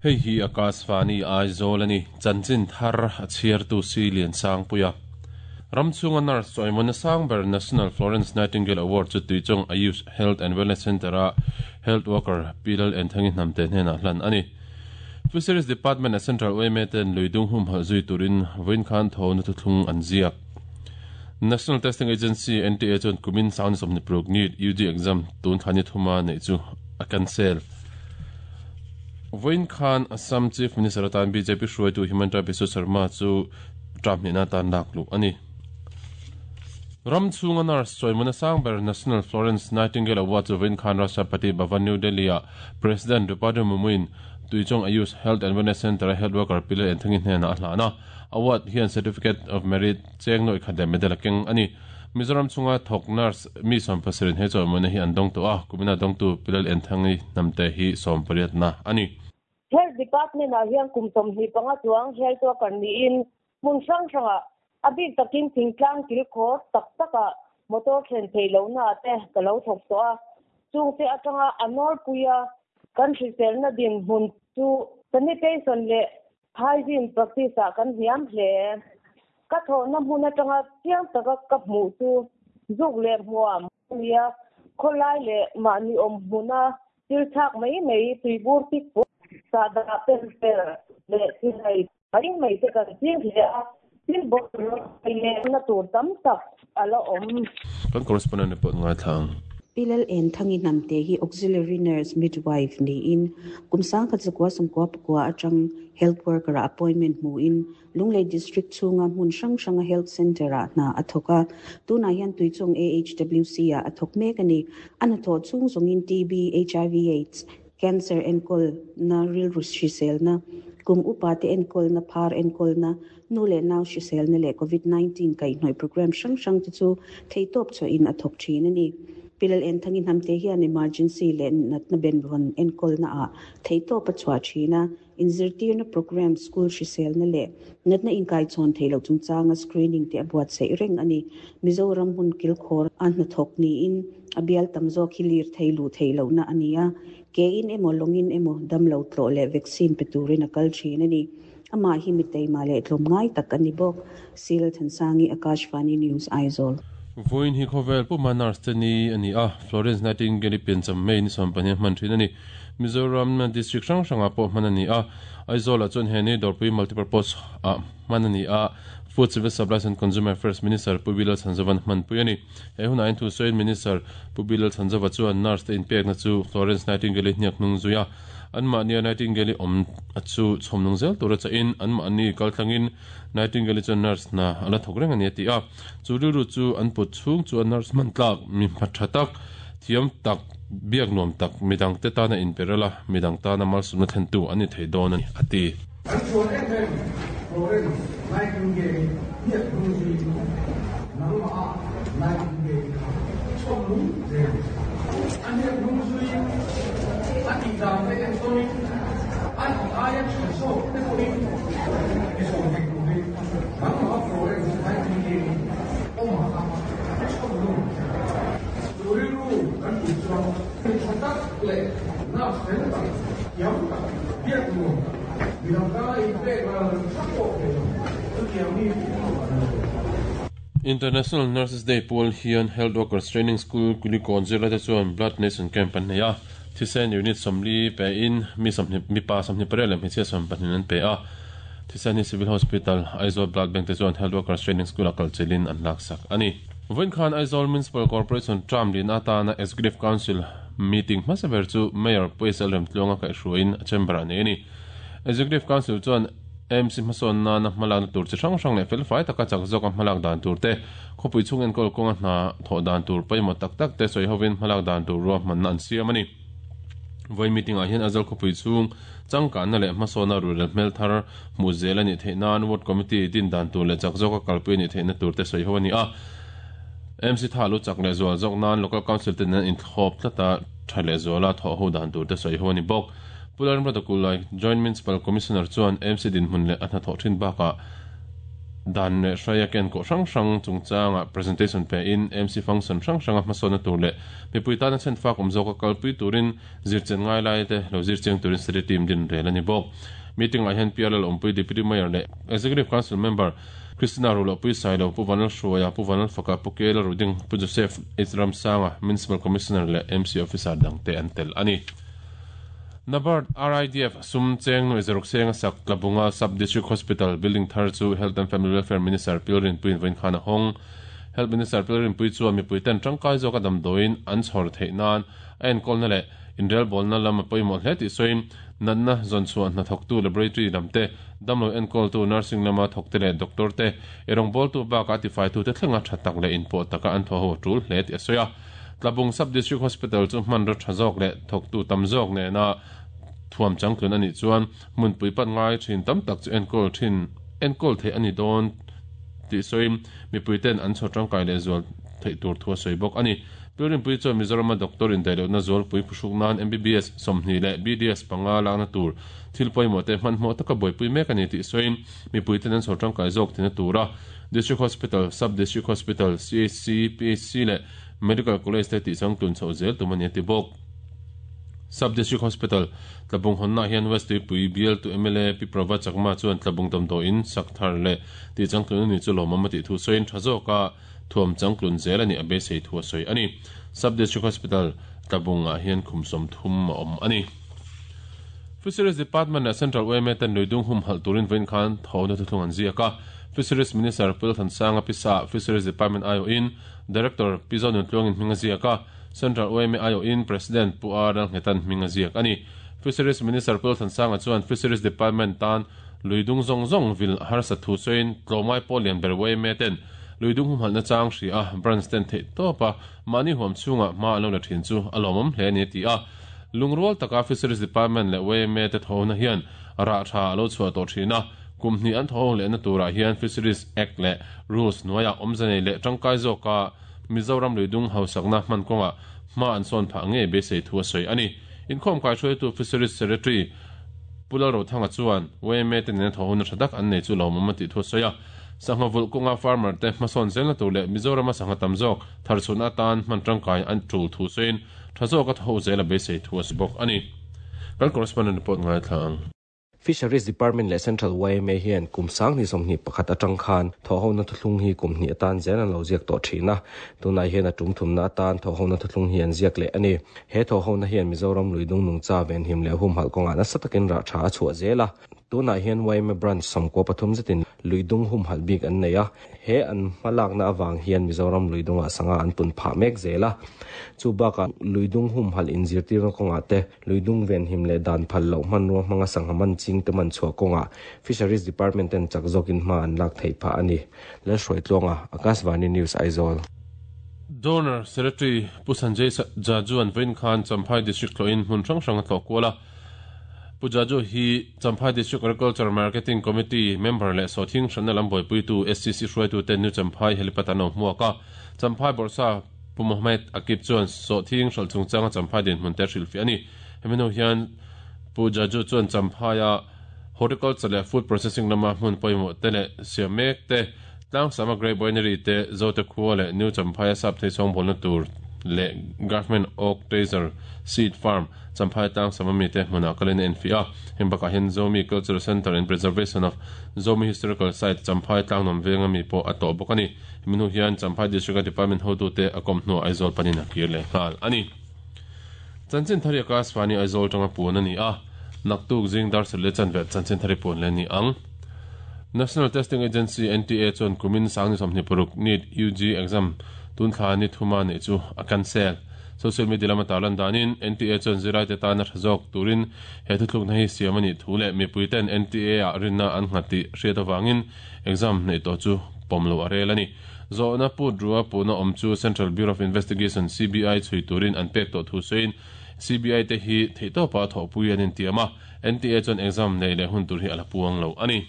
Hei hi Akashvani Aizawl a ni. Chanchin thar a chhiartu si Liansangpuia. Ram chhunga nurse chawimawna sang ber National Florence Nightingale Award chu Tuichawng Ayush Health and Wellness Centre-a Health Worker Pi Lal Enthangi Hnamte hnenah hlan a ni. Fisheries Department a Central yma ten luidung humhalh zui turin vawiin khan thona thuthlung an ziak. National Testing Agency, NTA, chuan kumin sang 26 NEET UG exam tun thla ni thuma neih chu a cancel. Vawiin khan Assam Chief Minister atan bjp hruaitu Himanta Biswa Sarma chu term hnihna atan lak luh a ni. Ram chhunga nurse chawimawna sang ber National Florence Nightingale Award chu vawiin khan Rashtrapati Bhavan New Delhi-ah President Draupadi Murmu-in Tuichawng Ayush Health and Wellness Centre-a health worker Pi Lal Enthangi hnenah a hlan a. Award hian Certificate of Merit cheng nawih khat leh medal a keng a ni. Mizoram chhunga thawk nurse mi 70 in he chawimawina hi an dawng tawh a, kumina dawngtu Pi Lal Enthangi hnamte hi 18na a ni. Health Department-ah hian kum 25 chuang health worker niin hmun hrang hrangah a bik takin thingtlang kilkhawr tak takah motor thlen theih lohna te ka lo thawk tawh a. Chungte atanga a nawlpuia kan hriselna dinhmun chu sanitation leh hygiene practice ah kan hniam hle. Ka thawhna hmun atanga chiang taka ka hmuh chu zuk leh hmuam a ni a, khawlai leh mahni awm hmuna thil thlak mai mai tuibur tik pawh sahdah pel fel leh thilei mai mai te kan ching hle a, thil bawlhhlawh leh na tur tam tak a la awm. Kan correspondent report ngaithla ang. Pi Lal Enthangi Hnamte hi Auxiliary Nurse Midwife niin kum 1999 atang Health Worker-ah appointment hmuin Lunglei District chhunga hmun hrang hranga Health Centre-ah hna a thawk a. Tunah hian Tuichawng AHWC-ah a thawk mek a ni. A hnathawh chhung zawngin TB, HIV Aids, Cancer enkawlna, rilru hriselna, kum upate enkawlna, phar enkawlna, nu leh nau hriselna leh Covid 19 kaihhnawih programme hrang hrang te chu theihtawp chhuahin a thawk thin a ni. Pi Lal Enthangi Hnamte hian emergency leh natna benvawn enkawlna ah theihtawp a chhuah thin a, inzirtirna programme, school hriselna leh natna inkaichhawn theih loh chungchanga screening te a buatsaih reng a ni. Mizoram hmun kilkhawr a hnathawk niin a bial tam zawk hi lir thei luh theih lohna a ni a, kein emaw lawngin emaw damlo tlawh leh vaccine pe turin a kal thin a ni. Amah hi mi teima leh tlawmngai tak a ni bawk. Sil Thansangi, Akashvani News, Aizawl. Vawiin hi khawvel puma nurse te ni a ni a, Florence Nightingale-i piancham May ni 12 hman thin a ni. Mizoram district hrang hrangah pawh hman a ni a, Aizawlah chuan he ni Dawrpui Multipurpose ah hman a ni a, Food Civil Supplies and Consumer Affairs Minister Pu Bilal Chhanzova'n hmanpui a ni. He hunah hian thusawiin Minister Pu Bilal Chhanzova chuan nurse te inpekna chu Florence Nightingale-i hniak hnung zui a, Anmahnia Nightingale-i awm a chu chhawm nung zel tura chahin anmahni kaltlangin Nightingale-i chuan nurse hna a la thawk reng a ni a ti a. Chu rilru chu an put chhung chuan nurse hman tlak, mi hma tha tak, thiam tak, biak nuam tak, midangte tana inperel a, midang tana malsawmna thlentu an ni thei dawn a ni a ti. An chuan em em Florence Nightingale-i hniak hnung zuiin nangmah a Nightingale-i kha chhawm nung zel ang che. A hniak hnung zuiin a tih dan te entawnin a tih aia tha zawk te pawhin i zawm thei turin nangmah a Florence Nightingale-i awmah kha chhawm nung ang che. Chu rilru kan put chuan mi tha tak leh nurse fel tak, thiam tak, biak nuam tak, midang tana inpek ral hrang pawh thei lo, chutiang mi chu an lo. International Nurses Day pual hian Health Workers Training School Kulikawn zirlaite chuan Blood Donation Camp an nei a, thisen unit 40 pein mi 20 mipa 28 leh hmeichhia 12 an pe a. Thisen hi Civil Hospital, Aizawl Blood Bank te chuan Health Workers Training School-a kalchilhin an laksak a ni. Vawiin khan Aizawl Municipal Corporation term lin atana Executive Council meeting hmasa ber chu Mayor Pu SL Remtluanga kaihhruaiin a chamber-ah nei a ni. Executive Council chuan AMC hmasawn nana hmalakna tur chi hrang hrang leh felfai taka chak zawka hmalak dan tur te, khawpui chhung enkawl kawnga hna thawh dan tur pawimawh tak tak te sawi hovin hmalak dan tur ruahmanna an siam a ni. Vawiin meeting-ah hian Aizawl khawpui chhung changkanna leh hmasawna ruhrel hmel thar hmuh zel a nih theih nan Ward Committee din dan tur leh chak zawka kalpui a nih theihna tur te sawi ho a ni a. MC tha lu chak leh zual zawk nan Local Council te nen inthlawp tlata tha leh zuala thawh ho dan tur te sawi ho a ni bawk. Pu Lalramrata Kulai, Joint Municipal Commissioner chuan MC dinhmun leh a hnathawh thin bakah, Dan leh hraia kenkawh hrang hrang chungchanga presentation pe in MC function hrang hranga hmasawnna tur leh mipui tana chhenfak awm zawka kalpui turin zirchian ngai lai te lo zirchiang turin study team din rel a ni bawk. Meeting ah hian PRL awmpui Deputy Mayor leh Executive Council Member Christina Rulohpui Sailo, Pu Vanlal Hruaia, Pu Vanlal Faka, Pu Kela Ruding, Pu Joseph H Ramsanga, Municipal Commissioner leh MC Officer dangte an tel a ni. Nabard RIDF sum cheng nuai zaruk senga sak Tlabunga Sub District Hospital building thar chu Health and Family Welfare Minister Pil Rinpuiin vawiin khan a hawng. Health Minister Pil Rinpui chuan mipuiten tangkai zawka damdawiin an chhawr theih nan a enkawlna leh inrelbawlna lam a pawimawh hle tih sawiin natna zawnchhuah hnathawktu laboratory lam te, damlo enkawltu nursing lama thawkte leh doctor te, eirawngbawltu bakah tifaitute thlenga tha tak leh inpawh taka an thawh ho a tul hle tih a sawi a. Tlabung Sub-District Hospital chu hmanraw tha zawk leh thawktu tam zawk nena thuam changtlun a nih chuan hmunpui pan ngai thin tam tak chu enkawl thin enkawl theih a ni dawn tih sawiin mipuiten an chhawr tangkai leh zual theih tur thu a sawi bawk a ni. Pilrimpui chuan Mizorama doctor indaihlohna zualpui phuhruk nan MBBS 20 leh BDS panga lakna tur thil pawimawh te hmanhmawh taka buaipui mek a ni tih sawiin mipuiten an chhawr tangkai zawk tina tura District Hospital, Sub-District Hospital, CHC, PHC leh Medical College te tih changtlun chhoh zel tum a ni a ti bawk. Sub District Hospital, Tlabung hawnnaah hian West Tuipui bialtu mla Pi Prabha Chakma chuan Tlabung damdawiin sak thar leh tih changtlun a ni chu lawmawm a tih thu sawiin tha zawka thuam changtlun zel a nih a beisei thu a sawi a ni. Sub District Hospital, Tlabungah hian khum 30 a awm a ni. Fisheries Department leh Central yma ten luidung humhalh turin vawiin khan thawhna thuthlung an ziak a. Fisheries Minister Pu Lalthansanga Pisa, Fisheries Department aiawhin Director Pi Zonuntluangin hming a ziak a, Central yma aiawhin President Pu R Lalnghetan hming a ziak a ni. Fisheries Minister Pu Lalthansanga chuan Fisheries Department tan luidung zawng zawng vil harsat thu sawiin tlawmngai pawh lian ber yma ten luidung humhalhna chang hria a branch ten theih tawp a mahni huam chhungah hma an lo la thin chu a lawmawm hle a ni a ti a. Lungrual taka Fisheries Department leh yma te thawhna hian rah tha a lo chhuah tawh thin a, Kum hnih an thawhawng lehna turah hian Fisheries Act leh Rules hnuaiah awmze nei leh tangkai zawka Mizoram luidung hausakna hman kawngah hma an sawn phah ngei beisei thu a sawi a ni. Inkhawm kaihruaitu Fisheries Secretary Pu Lalrothanga chuan yma te nena thawhawna tha tak an nei chu lawmawm a tih thu a sawi a. Sangha vulh kawnga farmer te hmasawn zelna tur leh Mizorama sangha tam zawk tharchhuahna atan hman tangkai an tul thu sawiin tha zawka thawh zel a beisei thu a sawi bawk a ni. Kan correspondent report ngaithla ang. Fisheries Department leh Central yma hian kum 2021 atang khan thawhhona thuthlung hi kum hnih atan zel an lo ziak tawh thin a, tunah hian a tum thumna atan thawhhona thuthlung hi an ziak leh a ni. He thawhhona hian Mizoram luidung nungcha venhim leh humhalh kawngah nasa takin rah tha a chhuah zel a. Tunah hian yma Branch 13 zetin luidung humhalh bik an nei a, He an hmalakna avang hian Mizoram luidungah sangha an pun phah mek zel a. Chu bakah luidung humhalh inzirtirna kawngah te, luidung venhim leh dan phal loh hmanrua hmanga sangha man ching te man chhuah kawngah Fisheries Department ten chak zawkin hma an lak theih phah a ni. Lalhruaitluanga, Akashvani News, Aizawl. Donor Secretary Pu Sanjay Jaju-a'n vawiin khan Champhai District tlawhin hmun hrang hrang a tlawh kual a. Pu Jaju hi Champhai District Agriculture Marketing Committee member leh sawhthing hranna lam buaipuitu SCC hruaitute New Champhai helipad an lo hmuak a. Champhai Bawrhsa Pu Mohammed Akib chuan sawhthing hralh chungchanga Champhai dinhmun te a hrilhfiah a ni. Hemi hnu hian Pu Jaju chuan Champhaia Horticulture leh Food Processing lama hmun pawimawh te leh siam mek te, Tlangsama Grape Winery te, Zote khua leh New Champhaia Sapthei chawngbawlna tur leh Government Oak Taser Seed Farm, Champhai Tlangsama mite hmunah kalin a enfiah a. Heng bakah hian Zomi Cultural Centre and Preservation of Zomi Historical Site, Champhai Tlangnuam venga mi pawh a tawh bawk a ni. Hemi hnu hian Champhai District-a Department hotute a kawm hnuah Aizawl panin a kir leh nghal a ni. Chanchin thari a Kasvani Aizawl tanga puan a ni a, naktuk zing dar sarih leh chanve chanchin thari puan leh a ni ang. National Testing Agency, NTA, chuan kumin sangni 26 NEET UG exam tun thla ni thuma neih chu a cancel. Social media lama tarlan danin NTA chuan zirlaite tana tha zawk turin he thuthlukna hi siam a nih thu leh mipuiten NTA-ah rinna an nghat tih hriat avangin exam neih tawh chu pawm loh a rel a ni. Zawhna put rua puhna awm chu Central Bureau of Investigation, CBI, chhui turin an pek tawh thu sawiin CBI te hi theihtawpa thawhpui an intiam a, NTA chuan exam neih leh hun tur hi a la puang lo a ni.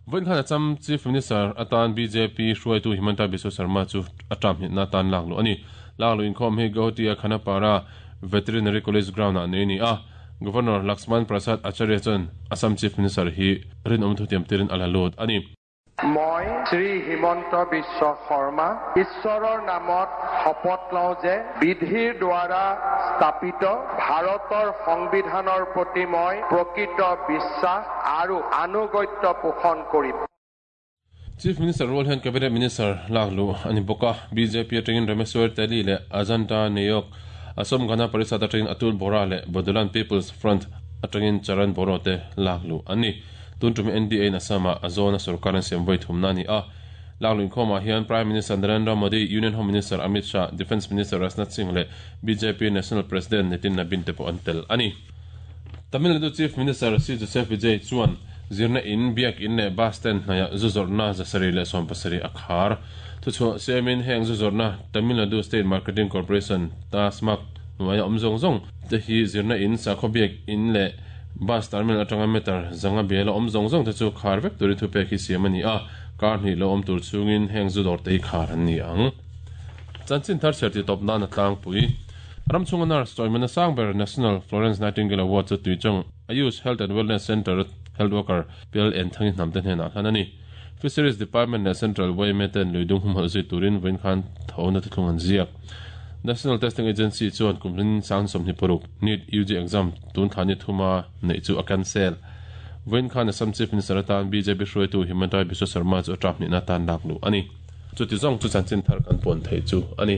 Vawiin khan Assam Chief Minister atan bjp hruaitu Himanta Biswa Sarma chu a term hnihna atan lak luh a ni. Lak luh inkhawm hi Guwahati-a Khanapara Veterinary College Ground-ah nei a ni a. Governor Laxman Prasad Acharya chuan Assam Chief Minister hi rinawm thutiam tirin a la lut a ni. মই শ্ৰী হিমন্ত বিশ্ব শৰ্মা ঈশ্বৰৰ নামত শপত লওঁ যে বিধিৰ দ্বাৰা স্থাপিত ভাৰতৰ সংবিধানৰ প্ৰতি মই প্ৰকৃত বিশ্বাস আৰু আনুগত্য পোষণ কৰিম। Chief Minister rual hian Cabinet Minister lak luh a ni bawk a, bjp atangin Rameswar Teli leh Ajanta Neyok, Asom Gana Parishad atangin Atul Bora leh Bodoland People's Front atangin Charan Boro te lak luh an ni. Tun tum NDA in Assam-ah a zawna sorkar an siam vawi thumna a ni a. Lak luh inkhawmah hian Prime Minister Narendra Modi, Union Home Minister Amit Shah, Defence Minister Rajnath Singh leh bjp National President Nitin Nabin te pawh an tel a ni. Tamil Nadu Chief Minister C Joseph Vijay chuan zirna in, biak in leh bus stand hnaihah zu zawrhna 770 a khar. Thuchhuah siamin heng zu zawrhna Tamil Nadu State Marketing Corporation, TASMAC, hnuaia awm zawng zawng te hi zirna in, sakhaw biak in leh bus terminal atanga meter 500 biala awm zawng zawng te chu khar vek turin thupek hi siam a ni a, kar hnih lo awm tur chungin heng zu dawr te hi khar an ni ang. Chanchin thar chhiar tih tawp nan a tlangpui. Ram chhunga nurse chawimawna sang ber National Florence Nightingale Award chu Tuichawng Ayush Health and Wellness Centre health worker Pial Enthangi hnamte hnenah hlan a ni. Fisheries Department leh Central yma ten lui dung humhalh zui turin vawiin khan thawhna thuthlung an ziak. National Testing Agency chuan kum hlin sang 26 NEET UG exam tun thla ni thuma neih chu a cancel. Vawiin khan Assam Chief Minister atan bjp hruaitu Himanta Biswa Sarma chu a term hnihna atan lak luh a ni. Chuti zawng chu chanchin thar kan puan theih chu a ni.